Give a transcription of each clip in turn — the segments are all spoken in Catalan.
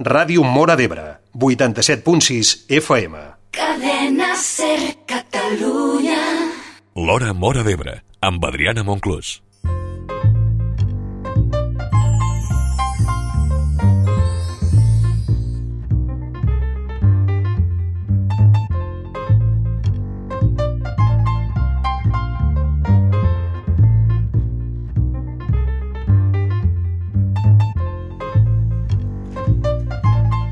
Ràdio Móra d'Ebre, 87.6 FM. Cadena SER Catalunya. L'Hora Móra d'Ebre, amb Adriana Monclús.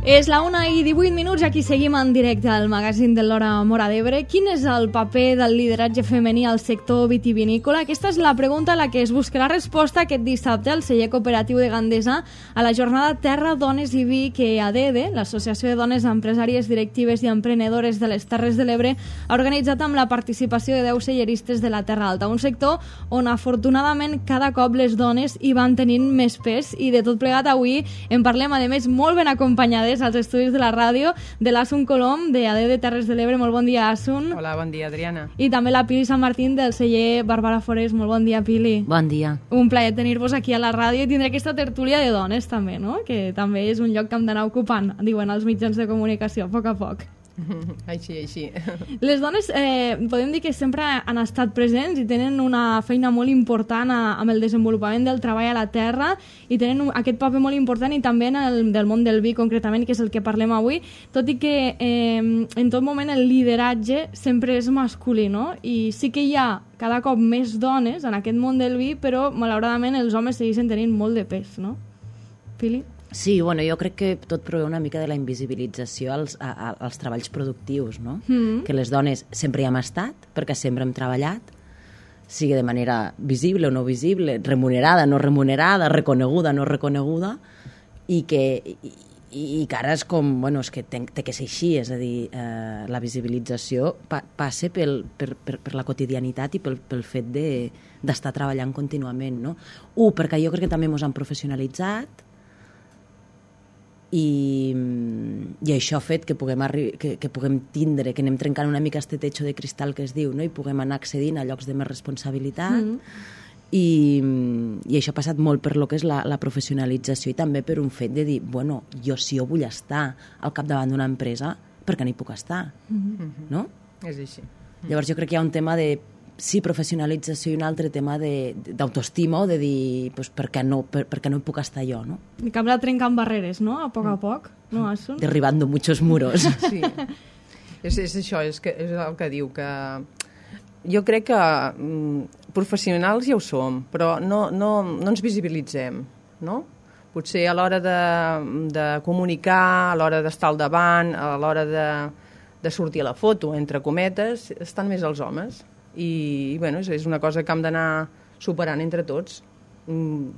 És la 1:18 i aquí seguim en directe al magazín de l'Hora Móra d'Ebre. Quin és el paper del lideratge femení al sector vitivinícola? Aquesta és la pregunta a la que es buscarà resposta aquest dissabte al celler cooperatiu de Gandesa a la jornada Terra, Dones i Vi que ADEDE, l'Associació de Dones Empresàries Directives i Emprenedores de les Terres de l'Ebre, ha organitzat amb la participació de 10 celleristes de la Terra Alta, un sector on afortunadament cada cop les dones hi van tenint més pes i de tot plegat avui en parlem, a més, molt ben acompanyades als estudis de la ràdio de l'Asun Colom, de ADEDE Terres de l'Ebre. Molt bon dia, Asun. Hola, bon dia, Adriana. I també la Pili Sant Martín del celler Bàrbara Forés. Molt bon dia, Pili. Bon dia. Un plaer tenir-vos aquí a la ràdio i tindre aquesta tertúlia de dones també, no? Que també és un lloc que hem d'anar ocupant, diuen els mitjans de comunicació, a poc a poc. Així. Les dones podem dir que sempre han estat presents i tenen una feina molt important amb el desenvolupament del treball a la terra i tenen aquest paper molt important i també en el del món del vi concretament, que és el que parlem avui, tot i que en tot moment el lideratge sempre és masculí, no? I sí que hi ha cada cop més dones en aquest món del vi, però malauradament els homes segueixen tenint molt de pes, no? Pili? Sí, bueno, jo crec que tot prové una mica de la invisibilització als treballs productius, no? Que les dones sempre hi hem estat, perquè sempre hem treballat, sigui de manera visible o no visible, remunerada, no remunerada, reconeguda, no reconeguda, i que ara és com, bueno, és que té que ser així, és a dir, la visibilització passa per la quotidianitat i pel fet d'estar treballant contínuament, no? Perquè jo crec que també ens han professionalitzat, i això ha fet que puguem tindre, que anem trencant una mica este techo de cristal que es diu, no? I puguem anar accedint a llocs de més responsabilitat i això ha passat molt per lo que és la professionalització i també per un fet de dir, bueno, si jo vull estar al capdavant d'una empresa, per què no hi puc estar? No? És així. Llavors jo crec que hi ha un tema de professionalització i un altre tema d'autoestima o de dir, pues, per què no hi puc estar jo, no? I que hem de trencar barreres, no? A poc, no, Asun? Derribando muchos muros. Sí, és això, és el que diu, que jo crec que professionals ja ho som, però no ens visibilitzem, no? Potser a l'hora de comunicar, a l'hora d'estar al davant, a l'hora de sortir a la foto, entre cometes, estan més els homes. I bueno, és una cosa que hem d'anar superant entre tots.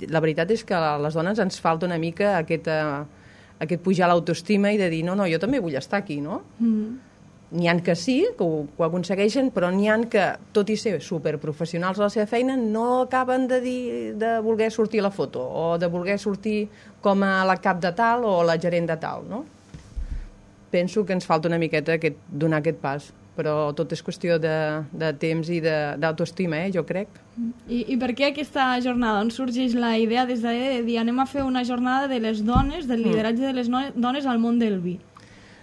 La veritat és que a les dones ens falta una mica aquest pujar l'autoestima i de dir, no, jo també vull estar aquí, no? N'hi ha que sí, que ho aconsegueixen, però n'hi ha que, tot i ser superprofessionals a la seva feina, no acaben de voler sortir a la foto o de voler sortir com a la cap de tal o la gerent de tal, no? Penso que ens falta una miqueta donar aquest pas, però tot és qüestió de temps i d'autoestima, jo crec. I per què aquesta jornada? On sorgeix la idea des de dir anem a fer una jornada de les dones, del lideratge de les dones al món del vi?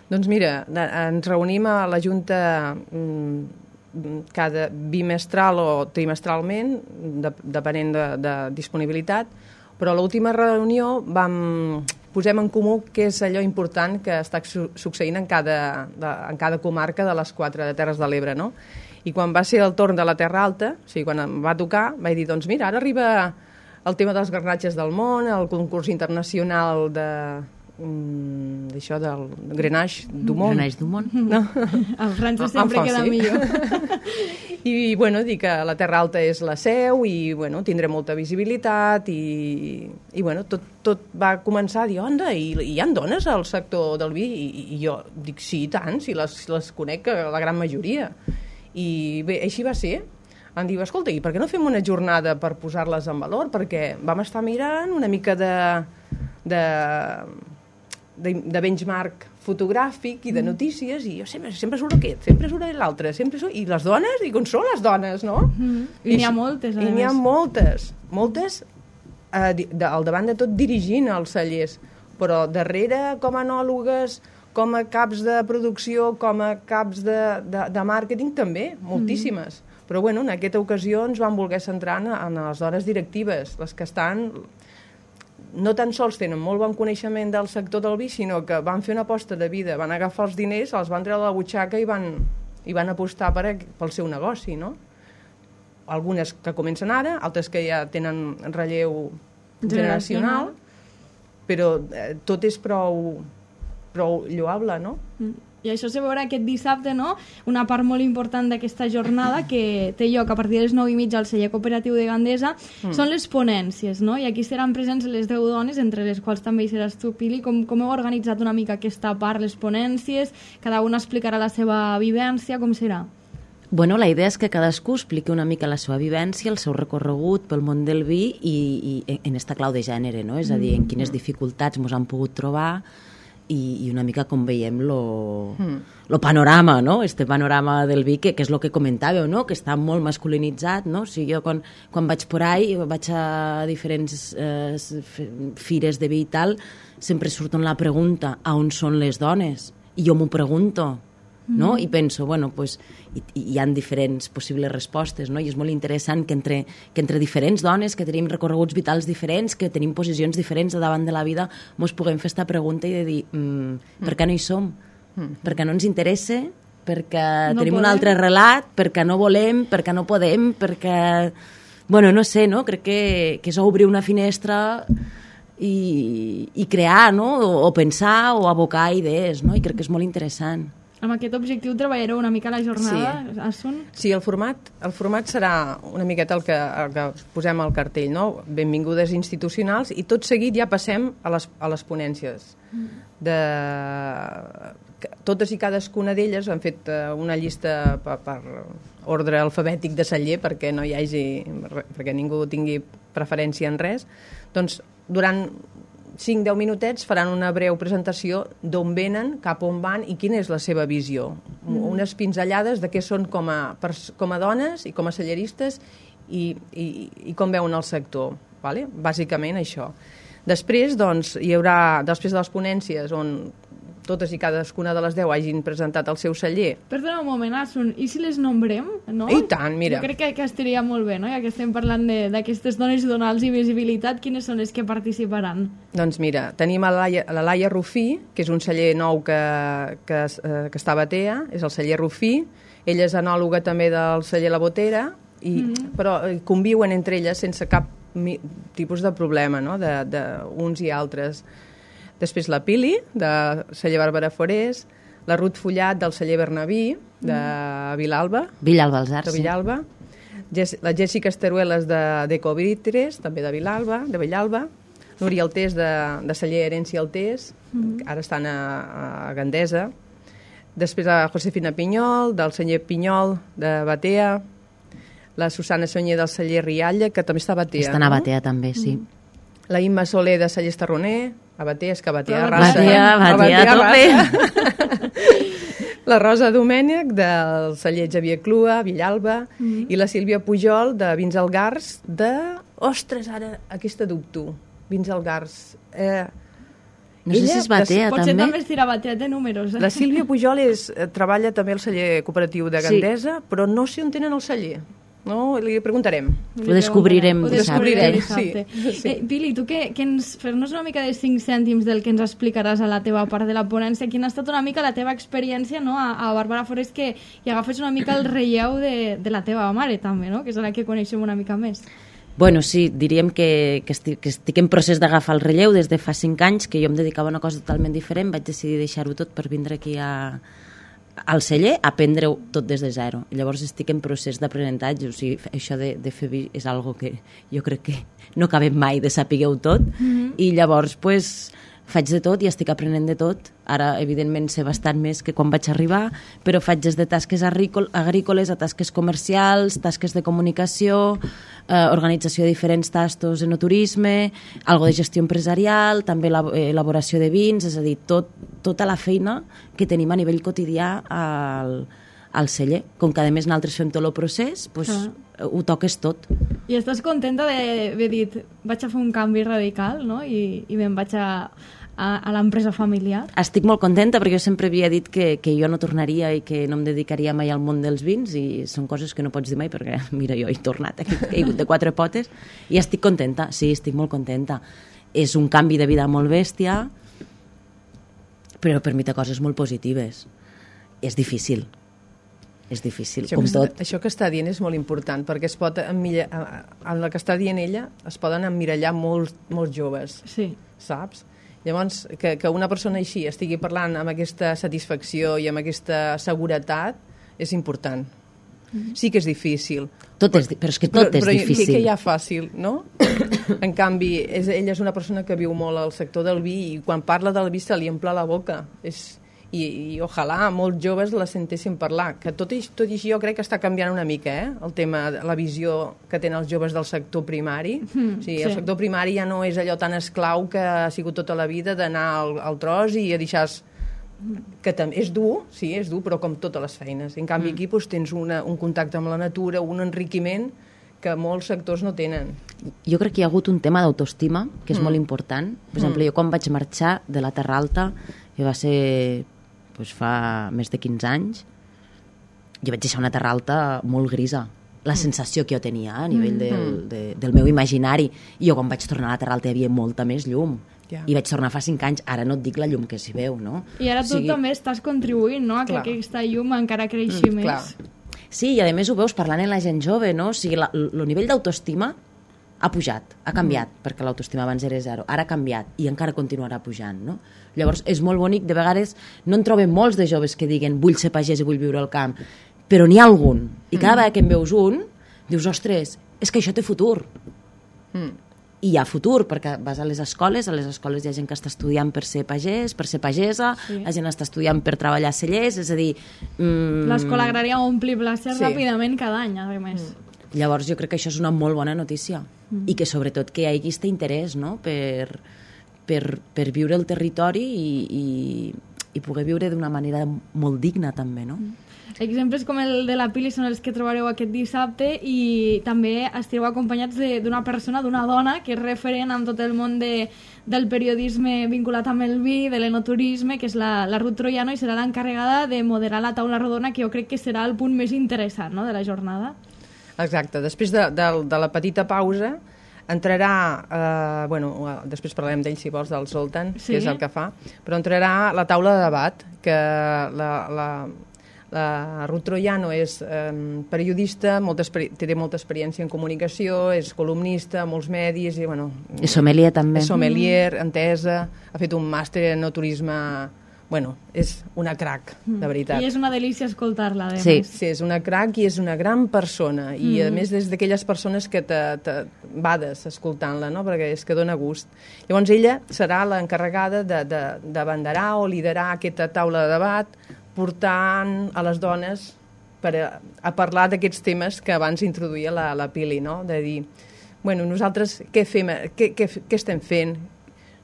Doncs mira, ens reunim a la Junta cada bimestral o trimestralment, depenent de disponibilitat, però a l'última reunió posem en comú què és allò important que està succeint en cada comarca de les 4 Terres de l'Ebre, no? I quan va ser el torn de la Terra Alta, o sigui, quan em va tocar, vaig dir, doncs mira, ara arriba el tema dels garnatges del món, el concurs internacional d'això del Grenache du Món. Grenache du Món. No? En francès sempre queda millor. I bueno, dir que la Terra Alta és la seu i bueno, tindré molta visibilitat i bueno, tot va començar a dir, onda, i hi ha dones al sector del vi? I jo dic, sí, i tant, si les conec la gran majoria. I bé, així va ser. Em diu, escolta, i per què no fem una jornada per posar-les en valor? Perquè vam estar mirant una mica de benchmark fotogràfic i de notícies, i jo sempre surt aquest, sempre surt l'altre, i les dones, i com són les dones, no? I n'hi ha moltes, a més. I n'hi ha moltes al davant de tot dirigint els cellers, però darrere, com a enòlogues, com a caps de producció, com a caps de màrqueting, també, moltíssimes. Però bueno, en aquesta ocasió ens vam voler centrar en les dones directives, les que estan, no tan sols tenen molt bon coneixement del sector del vi, sinó que van fer una aposta de vida, van agafar els diners, els van treure de la butxaca i van apostar pel seu negoci, no? Algunes que comencen ara, altres que ja tenen relleu generacional, però tot és prou lloable, no? I això se veurà aquest dissabte, no? Una part molt important d'aquesta jornada que té lloc a partir de les 9:30 al celler cooperatiu de Gandesa són les ponències, no? I aquí seran presents les 10 dones, entre les quals també hi seràs tu, Pili. Com heu organitzat una mica aquesta part, les ponències? Cada una explicarà la seva vivència, com serà? Bueno, la idea és que cadascú expliqui una mica la seva vivència, el seu recorregut pel món del vi i en esta clau de gènere, no? És a dir, en quines dificultats ens han pogut trobar i una mica com veiem lo panorama, no? Este panorama del vi, que és el que comentàveu, no? Que està molt masculinitzat, no? O sigui, jo quan vaig por ahí, vaig a diferents fires de vi i tal, sempre surt la pregunta, a on són les dones? I jo m'ho pregunto, no? I penso, bueno, pues, hi ha diferents possibles respostes, no? I és molt interessant que entre diferents dones, que tenim recorreguts vitals diferents, que tenim posicions diferents davant de la vida, ens puguem fer aquesta pregunta i de dir, per què no hi som? Perquè no ens interessa? Perquè no tenim un altre relat? Perquè no volem? Perquè no podem? Perquè... Bueno, no sé, no? Crec que és obrir una finestra i crear, no? O pensar o abocar idees, no? I crec que és molt interessant. Amb aquest objectiu treballareu una mica la jornada, Asun? Sí, el format serà una miqueta el que posem al cartell, no? Benvingudes institucionals, i tot seguit ja passem a les ponències. Totes i cadascuna d'elles han fet una llista per ordre alfabètic de celler perquè no hi hagi, perquè ningú tingui preferència en res. Doncs durant 5-10 minutets faran una breu presentació d'on venen, cap on van i quina és la seva visió. Unes pinzellades de què són com a dones i com a celleristes i com veuen el sector. Vale? Bàsicament això. Després, doncs, hi haurà, després de les ponències on totes i cadascuna de les 10 hagin presentat el seu celler. Perdona un moment, Asun, i si les nombrem? No? I tant, mira. Jo crec que estaria molt bé, no? Ja que estem parlant d'aquestes dones i donar-los visibilitat, quines són les que participaran? Doncs mira, tenim la Laia Rufí, que és un celler nou que està a Batea, és el celler Rufí. Ella és enòloga també del celler La Botera, però conviuen entre elles sense cap tipus de problema, no? D'uns i altres. Després la Pili, de celler Bàrbara Forés, la Ruth Follat, del celler Bernabí, de Vilalba. Villalba, els Arts. De Villalba. La Jessica Esteruelas, d'Ecovitres, també de Villalba. Núria Altés, de celler Herència Altés, ara estan a Gandesa. Després la Josefina Pinyol, del celler Pinyol, de Batea. La Susana Sonyer, del celler Rialla, que també està a Batea. Estan a Batea, també, sí. La Imma Soler, de celler Estarroner, a Batea, és que Batea arrasa. Batea tope. La Rosa Domènech, del celler Xavier Clua, Villalba, i la Sílvia Pujol, de Vins Algars, Ostres, ara, aquesta dubto. Vins Algars. No sé si és Batea, també. Potser també es dirà Batea de números. La Sílvia Pujol treballa també al celler cooperatiu de Gandesa, però no sé on tenen el celler. No, li preguntarem. Ho descobrirem dissabte. Sí. Pili, tu fer-nos una mica de 5 cèntims del que ens explicaràs a la teva part de la ponència. Quina ha estat una mica la teva experiència, no? A Bàrbara Forés, que hi agafes una mica el relleu de la teva mare, també, no? Que és la que coneixem una mica més. Bueno, sí, diríem que estic en procés d'agafar el relleu des de fa 5 anys, que jo em dedicava a una cosa totalment diferent, vaig decidir deixar-ho tot per vindre aquí al celler, aprendre-ho tot des de zero. Llavors estic en procés d'aprenentatge, o sigui, això de fer vi és algo que jo crec que no acabem mai de saber-ho tot, i llavors pues, faig de tot i estic aprenent de tot. Ara, evidentment, sé bastant més que quan vaig arribar, però faig des de tasques agrícoles a tasques comercials, tasques de comunicació, organització de diferents tastos, enoturisme, algo de gestió empresarial, també elaboració de vins, és a dir, tota la feina que tenim a nivell quotidià al celler. Com que a més nosaltres fem tot el procés, doncs ho toques tot. I estàs contenta d'haver dit vaig a fer un canvi radical, no? I me'n vaig a a l'empresa familiar? Estic molt contenta perquè jo sempre havia dit que jo no tornaria i que no em dedicaria mai al món dels vins, i són coses que no pots dir mai perquè, mira, jo he tornat, he caigut de 4 potes, i estic contenta, sí, estic molt contenta. És un canvi de vida molt bèstia, però permet coses molt positives. És difícil, com tot. Això que està dient és molt important, perquè es pot en el que està dient ella es poden emmirallar molts joves, sí. Saps? Llavors, que una persona així estigui parlant amb aquesta satisfacció i amb aquesta seguretat és important. Sí que és difícil. Però és que tot és difícil. Però que ja fàcil, no? En canvi, ella és una persona que viu molt al sector del vi i quan parla del vi se li omple la boca. I ojalà molts joves la sentessin parlar. Que tot i així jo crec que està canviant una mica, el tema, la visió que tenen els joves del sector primari. El sector primari ja no és allò tan esclau que ha sigut tota la vida d'anar al tros i a deixar... que és dur, sí, és dur, però com totes les feines. En canvi, aquí tens un contacte amb la natura, un enriquiment que molts sectors no tenen. Jo crec que hi ha hagut un tema d'autoestima que és molt important. Per exemple, jo quan vaig marxar de la Terra Alta, que va ser fa més de 15 anys, jo vaig deixar una Terra Alta molt grisa. La sensació que jo tenia a nivell del meu imaginari. I jo quan vaig tornar a la Terra Alta hi havia molta més llum. I vaig tornar fa 5 anys, ara no et dic la llum que s'hi veu, no? I ara tu també estàs contribuint, no?, a que aquesta llum encara creixi més. Clar. Sí, i a més ho veus parlant amb la gent jove, no? O sigui, el nivell d'autoestima ha pujat, ha canviat, perquè l'autoestima abans era 0, ara ha canviat i encara continuarà pujant, no? Llavors és molt bonic, de vegades no en trobem molts de joves que diguen vull ser pagès i vull viure al camp, però n'hi ha algun, i cada vegada que en veus un, dius, ostres, és que això té futur. I hi ha futur, perquè vas a les escoles hi ha gent que està estudiant per ser pagès, per ser pagesa, la gent està estudiant per treballar a cellers, és a dir... L'escola agrària ompli places ràpidament cada any, a més. Llavors jo crec que això és una molt bona notícia, i que sobretot que hi hagi aquest interès, no?, per viure el territori i poder viure d'una manera molt digna també, no? Exemples com el de la Pili són els que trobareu aquest dissabte, i també estareu acompanyats d'una persona, d'una dona, que és referent en tot el món del periodisme vinculat amb el vi, de l'enoturisme, que és la Ruth Troiano, i serà l'encarregada de moderar la taula rodona, que jo crec que serà el punt més interessant, no?, de la jornada. Exacte. Després de la petita pausa entrarà, després parlarem d'ell si vols, del Zoltan, que és el que fa, però entrarà la taula de debat, que la Ruth Troiano és periodista, té molta experiència en comunicació, és columnista, molts medis, i és sommelier també. És sommelier, entesa, ha fet un màster en enoturisme. És una crac, de veritat. I és una delícia escoltar-la, sí, és una crac i és una gran persona, i a més és d'aquelles persones que bades escoltant-la, no?, perquè és que dona gust. Llavors ella serà l'encarregada d'abanderar o liderar aquesta taula de debat, portant a les dones a parlar d'aquests temes que abans introduïa la Pili, no?, de dir, nosaltres què fem, què estem fent?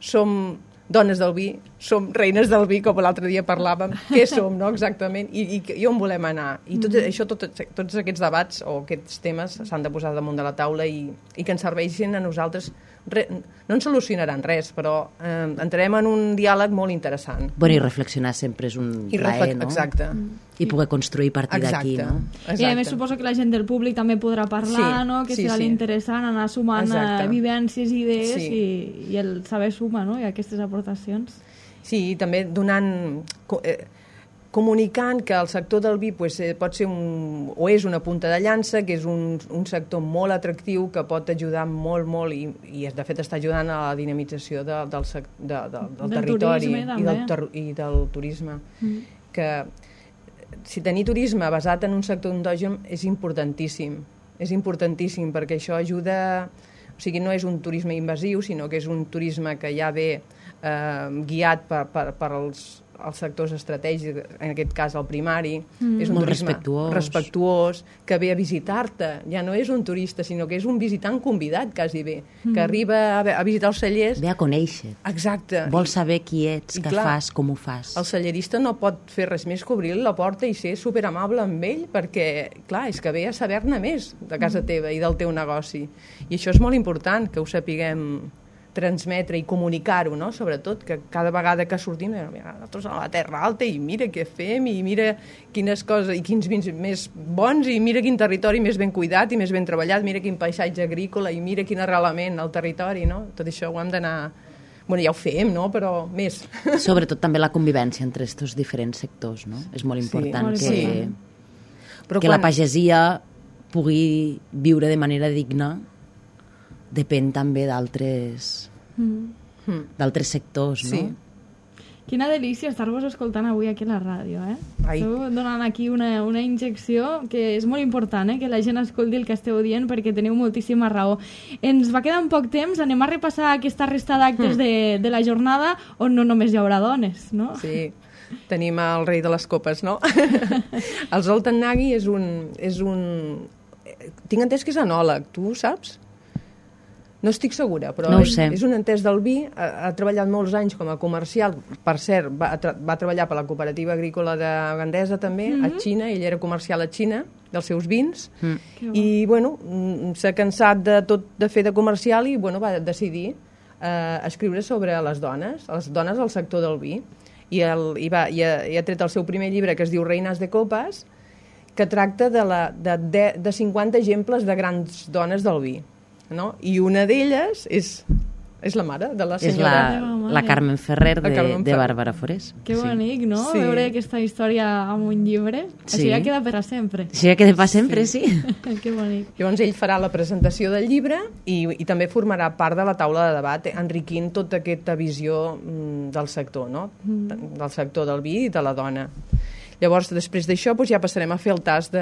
Som dones del vi, som reines del vi, com l'altre dia parlàvem, què som, no?, exactament, i on volem anar. I tots aquests debats o aquests temes s'han de posar damunt de la taula i que ens serveixin a nosaltres. No ens solucionaran res, però entrarem en un diàleg molt interessant. I reflexionar sempre és un plaer, no? Exacte. I poder construir a partir d'aquí, no? I a més suposo que la gent del públic també podrà parlar, no?, que serà l'interessant anar sumant vivències i idees, i el saber suma, no?, i aquestes aportacions. Sí, i també comunicant que el sector del vi pot ser o és una punta de llança, que és un sector molt atractiu, que pot ajudar molt, i de fet està ajudant a la dinamització del territori i del turisme. Que si tenir turisme basat en un sector endògen és importantíssim, perquè això ajuda, o sigui, no és un turisme invasiu, sinó que és un turisme que ja ve guiat per els sectors estratègics, en aquest cas el primari, és un turisme respectuós, que ve a visitar-te, ja no és un turista, sinó que és un visitant convidat, quasi bé, que arriba a visitar els cellers. Ve a conèixer. Exacte. Vol saber qui ets, què fas, com ho fas. El cellerista no pot fer res més que obrir la porta i ser superamable amb ell, perquè, clar, és que ve a saber-ne més de casa teva i del teu negoci. I això és molt important, que ho sapiguem transmetre i comunicar-ho, no? Sobretot, que cada vegada que sortim, nosaltres a la Terra Alta, i mira què fem, i mira quines coses, i quins vins més bons, i mira quin territori més ben cuidat i més ben treballat, mira quin paisatge agrícola, i mira quin arrelament al territori, no? Tot això ho hem d'anar... Bueno, ja ho fem, no? Però més. Sobretot també la convivència entre aquests diferents sectors, no? És molt important que la pagesia pugui viure de manera digna, depèn també d'altres sectors, no? Sí. Quina delícia estar-vos escoltant avui aquí a la ràdio, eh? Ai. Esteu donant aquí una injecció que és molt important, que la gent escolti el que esteu dient perquè teniu moltíssima raó. Ens va quedar un poc temps, anem a repassar aquesta resta d'actes de la jornada on no només hi haurà dones, no? Sí, tenim el rei de les copes, no? El Zoltan Nagy és un... Tinc entès que és enòleg, tu ho saps? No estic segura, però no ho sé. És un entès del vi, ha treballat molts anys com a comercial, per cert, va treballar per la cooperativa agrícola de Gandesa també, a Xina, ell era comercial a Xina, dels seus vins, i bueno, s'ha cansat de fer de comercial i bueno, va decidir escriure sobre les dones al sector del vi, i ha tret el seu primer llibre que es diu Reines de Copes, que tracta de 50 exemples de grans dones del vi. No? I una d'elles és la mare de la senyora... És la Carmen Ferrer de Bàrbara Forés. Que bonic, no? Sí. Veure aquesta història amb un llibre. Sí. Això ja queda per a sempre. Això ja queda per sempre, sí. Que bonic. Llavors ell farà la presentació del llibre i també formarà part de la taula de debat, enriquint tota aquesta visió del sector, no? Del sector del vi i de la dona. Llavors, després d'això, ja passarem a fer el tast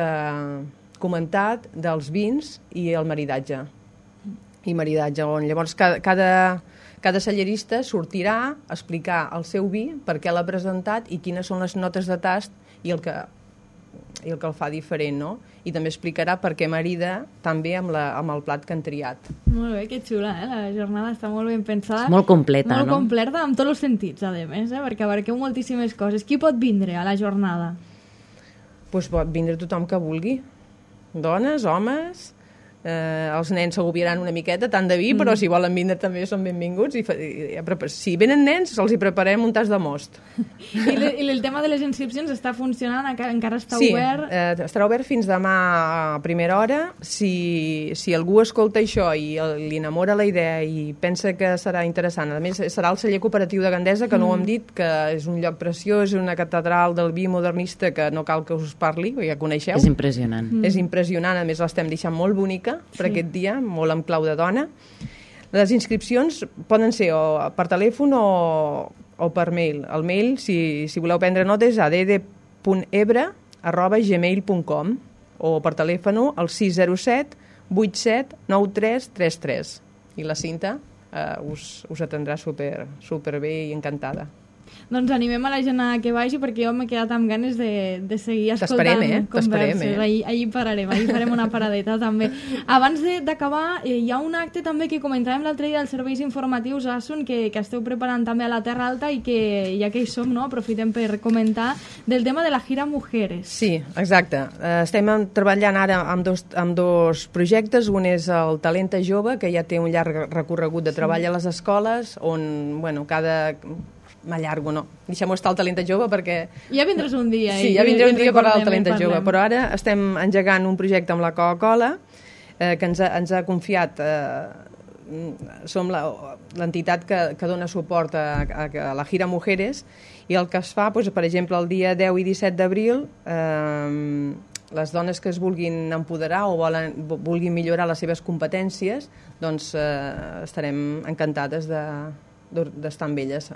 comentat dels vins i el maridatge. On llavors cada cellerista sortirà a explicar el seu vi, per què l'ha presentat i quines són les notes de tast i el que el fa diferent, no? I també explicarà per què marida també amb el plat que han triat. Molt bé, que xula, la jornada està molt ben pensada. És molt completa, molt completa amb tots els sentits, a més, perquè abarqueu moltíssimes coses. Qui pot vindre a la jornada? Doncs pot vindre tothom que vulgui. Dones, homes... els nens s'agobiaran una miqueta, tant de vi, però si volen vindre també són benvinguts. Si venen nens, els hi preparem un tas de most. I el tema de les inscripcions està funcionant? Encara està obert? Sí, estarà obert fins demà a primera hora. Si algú escolta això i li enamora la idea i pensa que serà interessant, a més serà el celler cooperatiu de Gandesa, que no ho hem dit, que és un lloc preciós, és una catedral del vi modernista que no cal que us parli, ja coneixeu. És impressionant. És impressionant, a més l'estem deixant molt bonica per aquest dia, molt amb clau de dona. Les inscripcions poden ser o per telèfon o per mail. El mail, si voleu prendre notes, és add.ebre@gmail.com o per telèfon al 607 87 93 33. I la Cinta us atendrà super bé i encantada. Doncs animem a la gent a que vagi, perquè jo m'he quedat amb ganes de seguir escoltant converses. Ahir pararem, ahir farem una paradeta també. Abans d'acabar, hi ha un acte també que comentàvem l'altre dia dels serveis informatius Asun, que esteu preparant també a la Terra Alta i que ja que hi som, no, aprofitem per comentar del tema de la Gira Mujeres. Sí, exacte. Estem treballant ara amb dos projectes. Un és el Talenta Jove, que ja té un llarg recorregut de treball a les escoles, on, bueno, m'allargo, no. Deixem-ho estar el Talenta Jove perquè... Ja vindràs un dia. Sí, ja vindré un dia a parlar del Talenta Jove, però ara estem engegant un projecte amb la Coca-Cola que ens ha confiat. Som l'entitat que dona suport a la Gira Mujeres, i el que es fa, doncs, per exemple, el dia 10 i 17 d'abril, les dones que es vulguin empoderar o vulguin millorar les seves competències, doncs estarem encantades d'estar amb elles.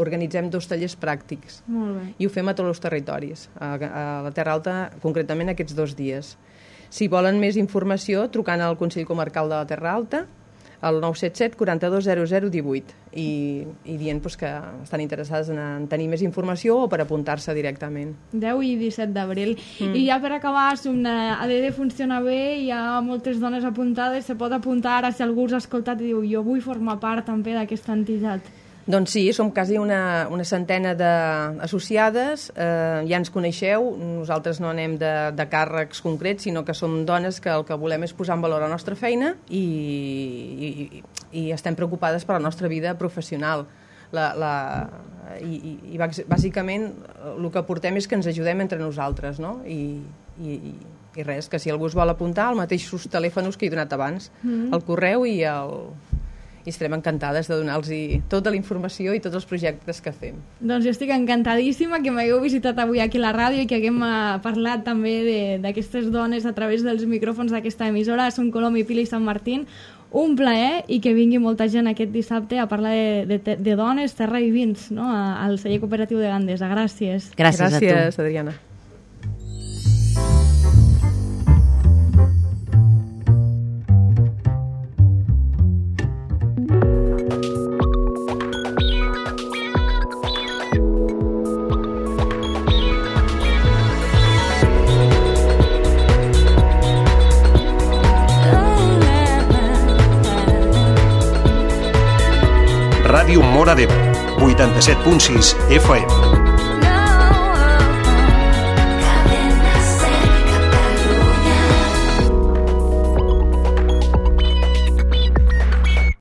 Organitzem 2 tallers pràctics. Molt bé. I ho fem a tots els territoris, a la Terra Alta, concretament aquests 2 dies. Si volen més informació, trucant al Consell Comarcal de la Terra Alta, al 977 42 00 18, i dient que estan interessades en tenir més informació o per apuntar-se directament. 10 i 17 d'abril. I ja per acabar, ADD funciona bé, hi ha moltes dones apuntades, se pot apuntar ara si algú us ha escoltat i diu jo vull formar part també d'aquesta entitat. Doncs sí, som quasi una centena d'associades, ja ens coneixeu, nosaltres no anem de càrrecs concrets, sinó que som dones que el que volem és posar en valor la nostra feina i estem preocupades per la nostra vida professional. I bàsicament el que portem és que ens ajudem entre nosaltres, no? I res, que si algú es vol apuntar, els mateixos telèfons que he donat abans, el correu i estarem encantades de donar-los tota la informació i tots els projectes que fem. Doncs jo estic encantadíssima que m'hagueu visitat avui aquí a la ràdio i que haguem parlat també d'aquestes dones a través dels micròfons d'aquesta emissora. Són Colom i Pila i Sant Martín. Un plaer i que vingui molta gent aquest dissabte a parlar de dones, terra i vins, no? Al celler cooperatiu de Gandesa. Gràcies. Gràcies a tu. Gràcies, Adriana. Ràdio Móra d'Ebre, 87.6 FM.